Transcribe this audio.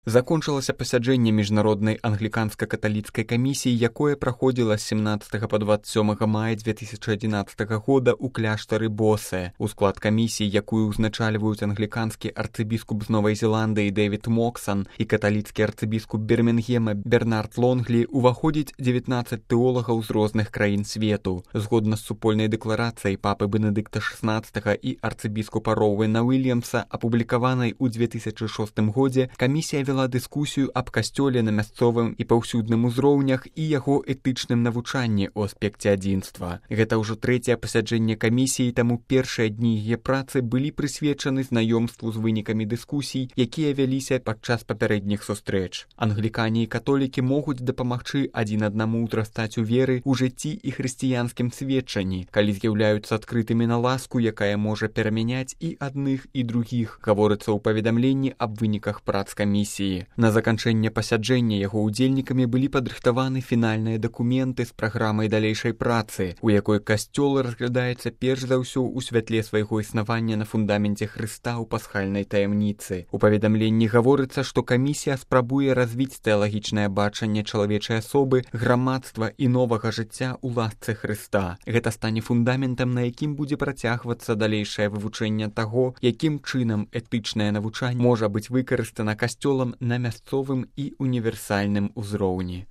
Закончылася пасяджэнне міжнароднай англіканска-каталіцкай камісіі, якое праходзіла з 17 па 27 мая 2011 года ў кляштары Босе. У склад камісіі, якую ўзначальваюць англіканскі арцыбіскуп з Новай Зеландыі Дэвід Моксан і каталіцкі арцыбіскуп Бірмінгема Бернард Лонглі, уваходзіць 19 тэолагаў з розных краін свету. Згодна з супольнай дэкларацыяй папы Бенедыкта XVI і арцыбіскупа Роуэна Уільямса, апублікаванай у 2006 годзе, камісія вела дыскусію аб касцёле на мясцовым і паўсюдным узроўнях і яго этычным навучанні ў аспекце адзінства. Гэта ўжо трэцяе пасяджэнне камісіі, таму першыя дні яе працы былі прысвечаны знаёмству з вынікамі дыскусій, якія вяліся падчас папярэдніх сустрэч. Англікане і католікі могуць дапамагчы адзін аднаму ўзрастаць у веры, у жыцці і хрысціянскім сведчанні, калі з'яўляюцца адкрытымі на ласку, якая можа перамяняць і адных, і другіх, гаворыцца ў паведамленні аб выніках прац камісіі. На заканчэнне пасяджэння яго ўдзельнікамі былі падрыхтаваны фінальныя дакументы з праграмай далейшай працы, у якой касцёл разглядаецца перш за ўсё ў святле свайго існавання на фундаменце Хрыста ў пасхальнай таямніцы. У паведамленні гаворыцца, што камісія спрабуе развіць тэалагічнае бачанне чалавечай асобы, грамадства і новага жыцця ў ласцы Хрыста. Гэта стане фундаментам, на якім будзе працягвацца далейшае вывучэнне таго, якім чынам этычнае навучанне можа быць выкарыстана касцёлам на мясцовым і універсальным узроўні.